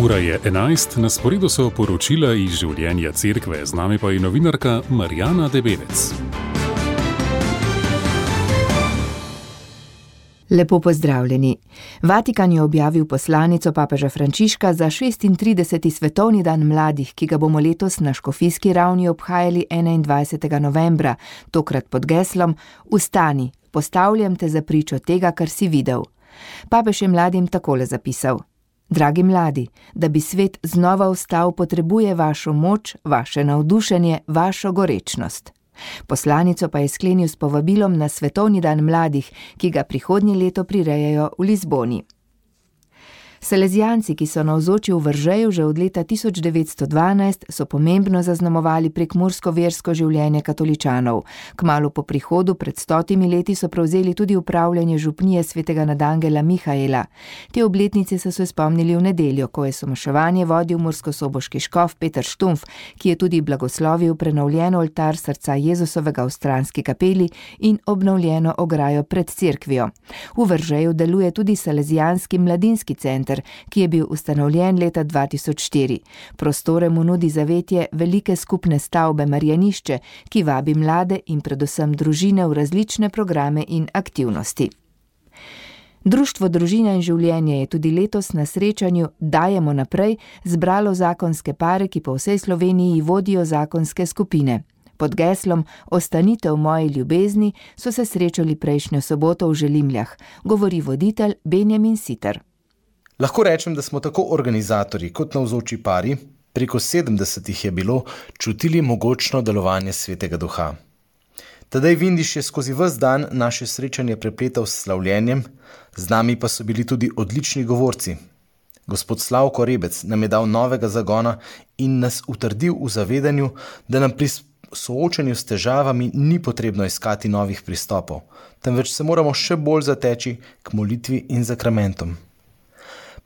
Ura je 11, na sporedu so poročila iz življenja cerkve, z nami pa je novinarka Marjana Debevec. Lepo pozdravljeni. Vatikan je objavil poslanico papeža Frančiška za 36. svetovni dan mladih, ki ga bomo letos na škofijski ravni obhajali 21. novembra, tokrat pod geslom Vstani, postavljam te za pričo tega, kar si videl. Papež je mladim takole zapisal: Dragi mladi, da bi svet znova vstal, potrebuje vašo moč, vaše navdušenje, vašo gorečnost. Poslanico pa je sklenil s povabilom na svetovni dan mladih, ki ga prihodnje leto prirejajo v Lizboni. Salezijanci, ki so navzoči v Veržeju že od leta 1912, so pomembno zaznamovali prekmursko versko življenje katoličanov. Kmalu po prihodu pred 100 leti so prevzeli tudi upravljanje župnije svetega nadangela Mihaela. Te obletnice so se spomnili v nedeljo, ko je somaševanje vodil murskosoboški škof Peter Štumf, ki je tudi blagoslovil prenovljen oltar srca Jezusovega v Stranski kapeli in obnovljeno ograjo pred cerkvijo. V Veržeju deluje tudi salezijanski mladinski center, ki je bil ustanovljen leta 2004. Prostore mu nudi zavetje velike skupne stavbe Marjanišče, ki vabi mlade in predvsem družine v različne programe in aktivnosti. Društvo Družina in življenje je tudi letos na srečanju Dajemo naprej zbralo zakonske pare, ki po vsej Sloveniji vodijo zakonske skupine. Pod geslom Ostanite v moji ljubezni so se srečali prejšnjo soboto v Želimljah, govori voditelj Benjamin Siter. Lahko rečem, da smo tako organizatorji kot navzoči pari, preko 70 je bilo, čutili mogočno delovanje Svetega Duha. Tadej Vindiš je skozi ves dan naše srečanje prepletal s slavljenjem, z nami pa so bili tudi odlični govorci. Gospod Slavko Rebec nam je dal novega zagona in nas utrdil v zavedanju, da nam pri soočanju s težavami ni potrebno iskati novih pristopov, temveč se moramo še bolj zateči k molitvi in zakramentom.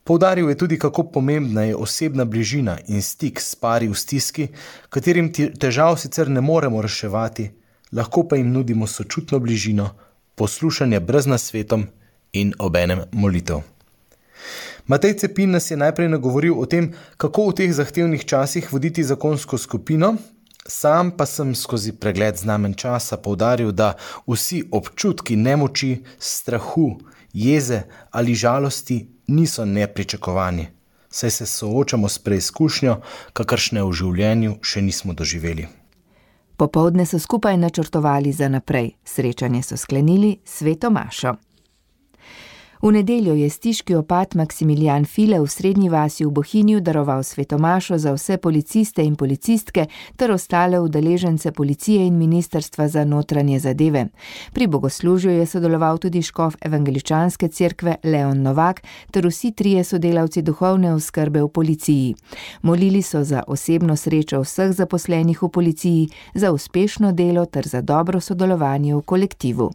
Poudaril je tudi, kako pomembna je osebna bližina in stik s pari v stiski, katerim težav sicer ne moremo reševati, lahko pa jim nudimo sočutno bližino, poslušanje brez nasvetom in obenem molitev. Matej Cepin nas je najprej nagovoril o tem, kako v teh zahtevnih časih voditi zakonsko skupino, sam pa sem skozi pregled znamen časa poudaril, da vsi občutki nemoči, strahu, jeze ali žalosti niso nepričakovani, saj se soočamo s preizkušnjo, kakršne v življenju še nismo doživeli. Popoldne so skupaj načrtovali za naprej. Srečanje so sklenili s sveto mašo. V nedeljo je stiški opat Maksimilijan File v Srednji vasi v Bohinju daroval sveto mašo za vse policiste in policistke ter ostale udeležence policije in ministrstva za notranje zadeve. Pri bogoslužju je sodeloval tudi škof evangeličanske cerkve Leon Novak ter vsi trije sodelavci duhovne oskrbe v policiji. Molili so za osebno srečo vseh zaposlenih v policiji, za uspešno delo ter za dobro sodelovanje v kolektivu.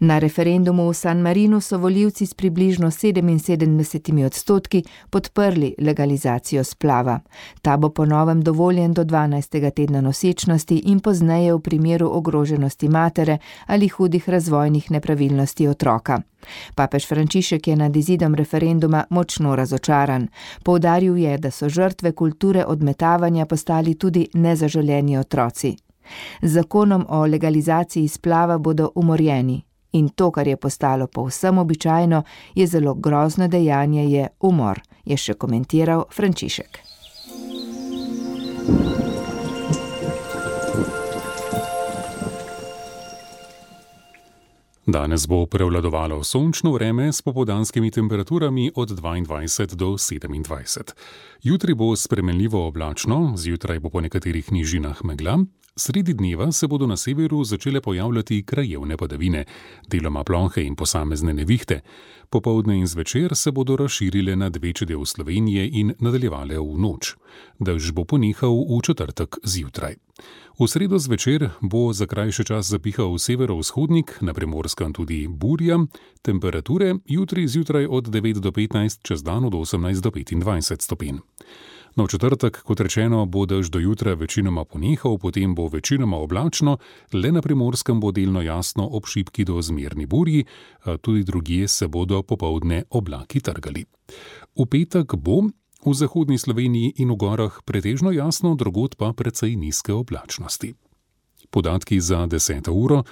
Na referendumu v San Marinu so volivci s približno 77% podprli legalizacijo splava. Ta bo po novem dovoljen do 12. tedna nosečnosti in pozneje v primeru ogroženosti matere ali hudih razvojnih nepravilnosti otroka. Papež Frančišek je nad izidom referenduma močno razočaran. Poudaril je, da so žrtve kulture odmetavanja postali tudi nezaželeni otroci. Z zakonom o legalizaciji splava bodo umorjeni. In to, kar je postalo povsem običajno, je zelo grozno dejanje, je umor, je še komentiral Frančišek. Danes bo prevladovalo sončno vreme s popoldanskimi temperaturami od 22 do 27. Jutri bo spremenljivo oblačno, zjutraj bo po nekaterih nižinah megla, sredi dneva se bodo na severu začele pojavljati krajevne padavine, deloma plohe in posamezne nevihte. Popoldne in zvečer se bodo razširile nad večji del Slovenije in nadaljevale v noč. Dež bo ponehal v četrtek zjutraj. V sredo zvečer bo za krajši čas zapihal severovzhodnik, na Primorskem tudi burja, temperature jutri zjutraj od 9 do 15, čez dan od 18 do 25 stopinj. No, v četrtek, kot rečeno, bo dež do jutra večinoma ponehal, potem bo večinoma oblačno, le na Primorskem bo delno jasno ob šibki do zmerni burji, tudi drugje se bodo popoldne oblaki trgali. V petek bo V zahodni Sloveniji in v gorah pretežno jasno, drugod pa precej nizke oblačnosti. Podatki za 10. uro: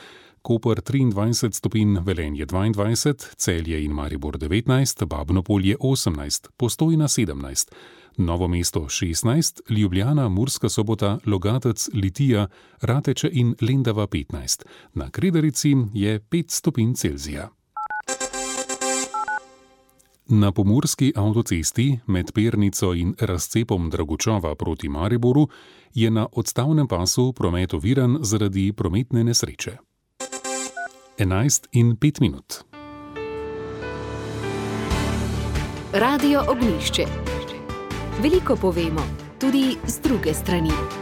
Koper 23 stopinj, Velenje 22, Celje in Maribor 19, Babno-Polje 18, Postojna 17, Novo mesto 16, Ljubljana, Murska Sobota, Logatec, Litija, Rateče in Lendava 15. Na Kredarici je 5 stopinj Celzija. Na pomurski avtocesti med Pernico in razcepom Dragučova proti Mariboru je na odstavnem pasu promet oviran zaradi prometne nesreče. 11:05. Radio Ognjišče. Veliko povemo, tudi z druge strani.